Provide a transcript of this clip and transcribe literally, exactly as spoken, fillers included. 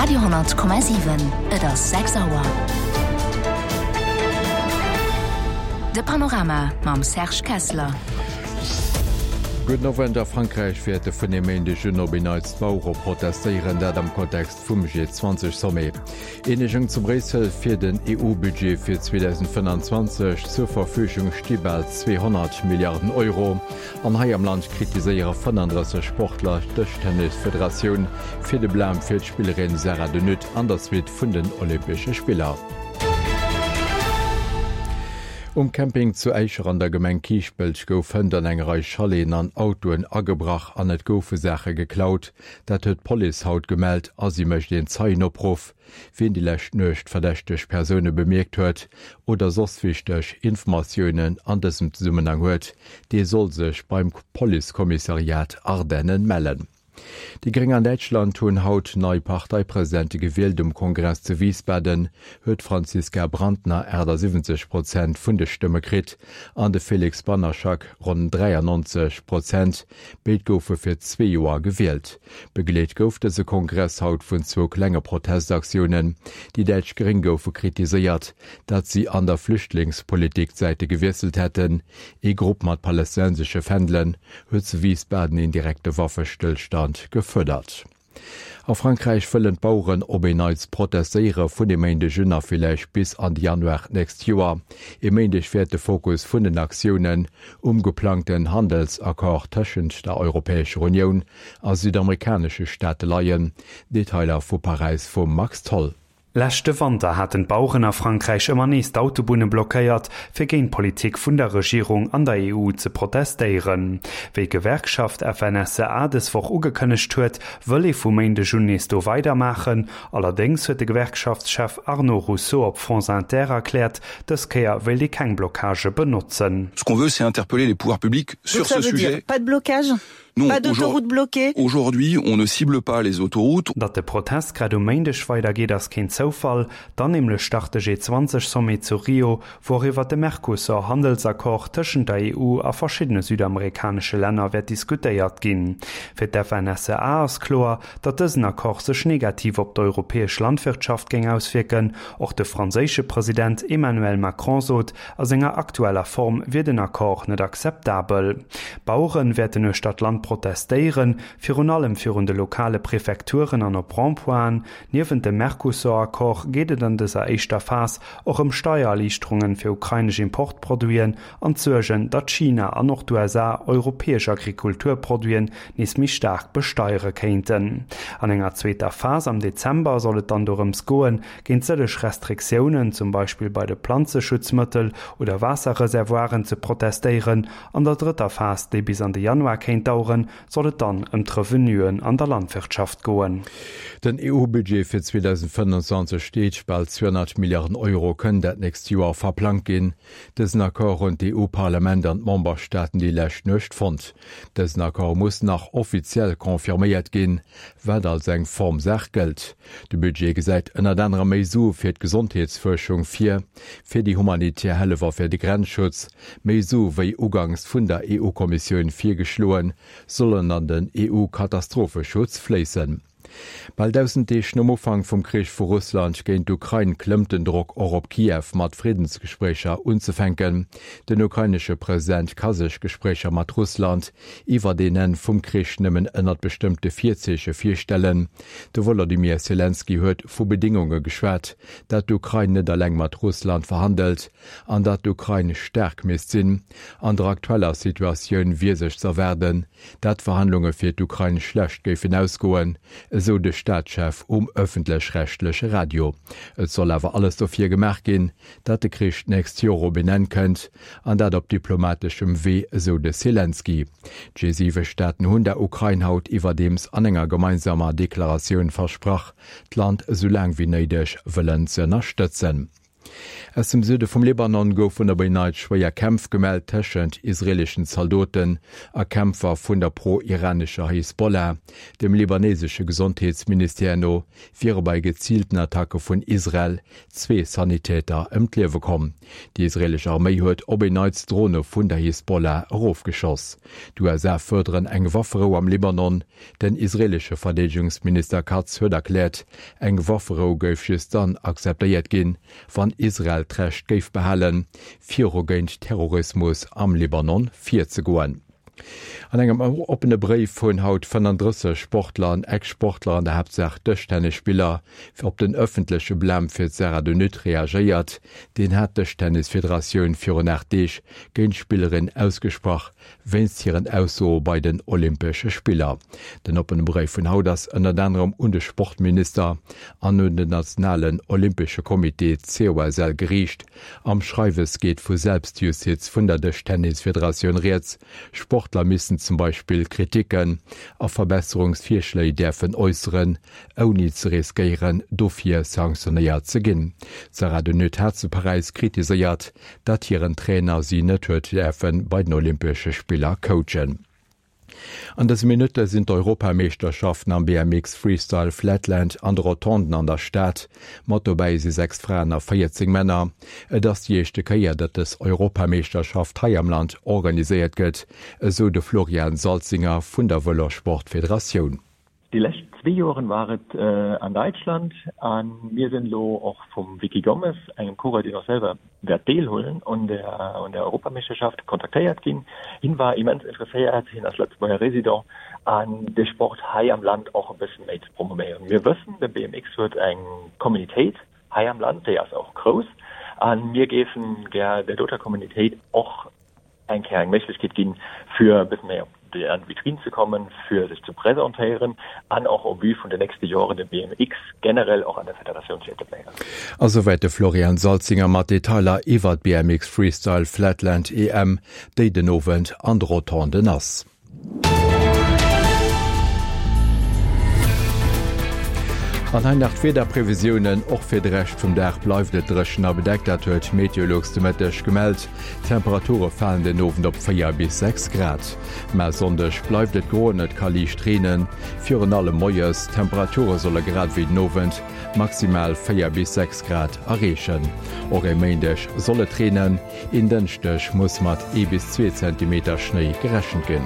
Radio honnert Komma siwen, Et ass sechs Auer. De Panorama mam Serge Kessler. Gudden Owend, A Frankräich wäerte vun e Méindeg un op en Neits d'Bauere protestéieren, dat am Kontext vum G zwanzeg Sommet. Eenegung zu Bréissel fir den E U-Budget fir zweedausendfënnanzwanzeg, Zur Verfügung sti bal zweehonnert Milliarden Euro. An hei am Land kritiséiere fënnandrësseg Sportler d'Dëschtennisfederatioun fir de Blam fir d'Spillerin Sarah de Nutte an der Suite vun den Olympesche Spiller. Um Camping zu Äischer an der Gemeng Kiischpelt gouf hënt an eng Rei Chaleten an Autoen agebrach an et goufe Saache geklaut. Dat huet d'Police haut gemellt a si mécht een Zeienopruff. Wien déi lescht Nuecht verdächteg Persoune bemierkt huet oder soss wichteg Informatiounen an dësem Zesummenhang huet, dee soll sech beim Policekommissariat Ardennen mellen. Déi Gréng an Däitschland hunn haut nei Parteipresidente gewielt. Um Kongress zu Wiesbaden huet d'Franziska Brantner achtasiwwenzeg Prozent vun de Stëmme kritt an de Felix Banaszak ronn dräiannonzeg Prozent. Béid goufe fir zwee Joer gewielt. Begleet gouf dëse Kongress haut vun zwou klenge Protestaktiounen. Déi däitsch Gréng goufe kritiséiert, datt si an der Flüchtlingspolitik d'Säite gewiesselt hätten. Ee Grupp mat palästinensesche Fändelen huet zu Wiesbaden een direkte Waffestëllstand gefuerdert. A Frankräich wëllen d'Baueren op een Neits protestéiere vun e Méindeg un a villäicht bis an de Januar d'nächst Joer. E Méindeg wäert de Fokus vun den Aktiounen um geplangten Handelsaccord tëschent der Europäescher Unioun a südamerikanesche Staate leien. Detailer vu Paräis vum Max Tholl. Leschte Wanter haten d'Baueren a Frankräich ëmmer nees d'Autobunne blockéiert, fir géint d'Politik vun der Regierung an der E U ze protestéieren. Wéi d'Gewerkschaft F N S E A dës Woch ugekënnegt huet, wëll ee vu Méindeg un nees do weidermaachen. Allerdéngs huet de Gewerkschaftschef Arnaud Rousseau op France Inter erkläert, dës Kéier wéilt ee keng Blockage benotzen. Ce qu'on veut, c'est interpeller les pouvoirs publics sur Donc ça ce veut dire sujet. pas de blocage ? Non, Pas d'autoroute aujourd'hui, bloquée ? aujourd'hui, on ne cible pas les autoroutes. Datt de Protest grad um Méindeg weidergeet, ass keen Zoufall. Dann nämlech start de G zwanzeg Sommet zu Rio, wou och iwwer de Mercosur-Handelsaccord tëschent der E U a verschiddene südamerikanesche Länner wäert diskutéiert ginn. Fir d'F N S E A ass kloer, datt dësen Accord sech negativ op d'europäesch Landwirtschaft géing auswirken. Och de franséische President Emmanuel Macron sot, a senger aktueller Form wier den Accord net akzeptabel. Baueren wäerten uechter d'Land protestéieren, virun allem virun de lokale Präfekturen an op Rond-pointen. Niewent dem Mercosur-Accord geet et an dëser éischter Phas och ëm Steiererliichterungen fir ukrainesch Importproduiten an d'Suergen, datt China an och d'U S A europäesch Agrikulturproduiten nees méi staark besteiere kéinten. An enger zweeter Phas am Dezember soll et dann dorëms goen, géint sëlleg Restriktiounen, zum Beispill bei de Planzeschutzmëttel oder Waasserreservoiren ze protestéieren. An der drëtter Phas, déi bis an de Januar kéint daueren, soll et dann ëm d'Revenuen an der Landwirtschaft goen. Den E U-Budget fir zweedausendfënnandzwanzeg steet bal zweehonnert Milliarden Euro kënnt dat nächst Joer verplangt ginn. Dësen Accord hunn d'E U-Parlament an d'Memberstaaten déi lescht Nuecht fonnt. Dësen Accord muss nach offiziell confirméiert ginn, wat als eng Formsaach gëllt. De Budget gesäit ënnert anderem méi Sue fir d'Gesondheetsfuerschung vir, fir déi humanitär Hëllef a fir de Grenzschutz, méi Sue wéi ugangs vun der E U-Kommissioun virgeschloen, sollen an den E U-Katastropheschutz fléissen. Bal tausend Deeg nom Ufank vum Krich vu Russland géint d'Ukrain klëmmt den Drock och op Kiew mat Friedensgespréicher unzefänken. Den ukrainesche President ka sech Gespréicher mat Russland iwwer den Enn vum Krich nëmmen ënnert bestimmte Virzeeche virstellen. De Volodymyr Zelensky huet vu Bedingunge geschwat, dat d'Ukrain net alleng mat Russland verhandelt an dat d'Ukrain staark misst sinn. An der aktueller Situatioun wier sech z'erwaarden, dat Verhandlunge fir d'Ukrain schlecht géifen ausgoen, esou de Staatschef um ëffentlech-rechtleche Radio. Et soll awer alles dofir gemaach ginn, dat de Krich d'nächst Joer op en Enn kënnt an dat op diplomatischem Wee, esou de Zelensky. D'G siwe Staaten hunn der Ukrain haut iwwerdeems an enger gemeinsamer Deklaratioun versprach, d'Land esou laang wéi néideg wëllen ze ënnerstëtzen. Aus dem Süde vum Libanon goufen op en Neits schwéier Kämpf gemellt tëschent israeeleschen Zaldoten a Kämpfer vun der pro-iranescher Hisbollah. Dem libanesesche Gesondheetsministère no wiere bei geziilten Attacke vun Israel zwee Sanitäter ëm d'Liewe komm. Déi israeelesch Arméi huet op en Neits Drone vun der Hisbollah erofgeschoss. D'USA fuerderen eng Wafferou am Libanon. Den israeelesche Verdeedegungsminister Katz huet erkläert, eng Wafferou géif just dann akzeptéiert ginn, wann Israel d'Recht géif behalen, viru géint Terrorismus am Libanon virzegoen. An engem oppene Bréif hunn haut fënnenddrësseg Sportler an Ex-Sportler, an der Haaptsaach Dëschtennisspiller, op den ëffentleche Blam fir d'Sarah de Nutte reagéiert. Deen hat d'Dëschtennisfederatioun virun aacht Deeg géint d'Spillerin ausgesprach, wéinst hiren Aussoe bei den Olympesche Spiller. Den oppene Bréif vun haut ass ënnert anerem un de Sportminister an un den nationalen Olympesche Comité, COSL, geriicht. Am Schreiwes geet vu Selbstjustiz vun der Dëschtennisfederatioun rieds. Sportler missten zum Beispill Kriticken a Verbesserungsvirschléi däerfen äusseren, ouni ze riskéieren, dofir sanktionéiert ze ginn. D'Sarah de Nutte hat zu Paräis kritiséiert, datt hiren Trainer si net huet däerfe bei den Olympesche Spiller coachen. An dëse Minutte sinn d'Europameeschterschaften am B M X Freestyle Flatland an de Rotonden an der Stad. Mat dobäi si sechs Fraen a véierzéng Männer. Et ass déi éischte Kéier, datt dës Europameeschterschaft hei am Land organiséiert gëtt, esou de Florian Salzinger vun der Vëlossport-Federatioun. Déi lescht zwee Joren war et an Däitschland a mir sinn elo och vum Vicky Gomez, engem Coureur deen och selwer wäert deelhuelen un der un der Europameeschterschaft, kontaktéiert ginn. Hien war immens interesséiert, hien ass Lëtzebuerger Resident, an de Sport hei am Land och e bëssen méi ze promovéieren. Mir wëssen, de B M X huet eng Communitéit hei am Land, déi ass och grouss a mir géifen gär der doter Communitéit och eng Kéier eng Méiglechkeet ginn, fir e bëssen méi op déi an d'Vitrine ze kommen, fir sech ze presentéieren an och au vue vun de nächste Joren de B M X generell och an der Federatioun ze etabléieren. A souwäit de Florian Salzinger mat Detailer iwwer d'B M X Freestyle Flatland E M, déi den Owend an de Rotonden ass. An hei nach d'Wiederprevisiounen, Och fir de Rescht vum Dag bleift et dréchen a bedeckt, dat huet Meteolux de Mëtteg gemellt. D'Temperature falen den Owend op véier bis sechs Grad. Mä e Sonndeg bleift et gro an et ka liicht reenen, virun allem moies. D'Temperature solle grad ewéi den Owend maximal véier bis sechs Grad erreechen. Och e Méindeg soll et reenen, en Dënschdeg muss mat ee bis zwee Zentimeter Schnéi gerechent ginn.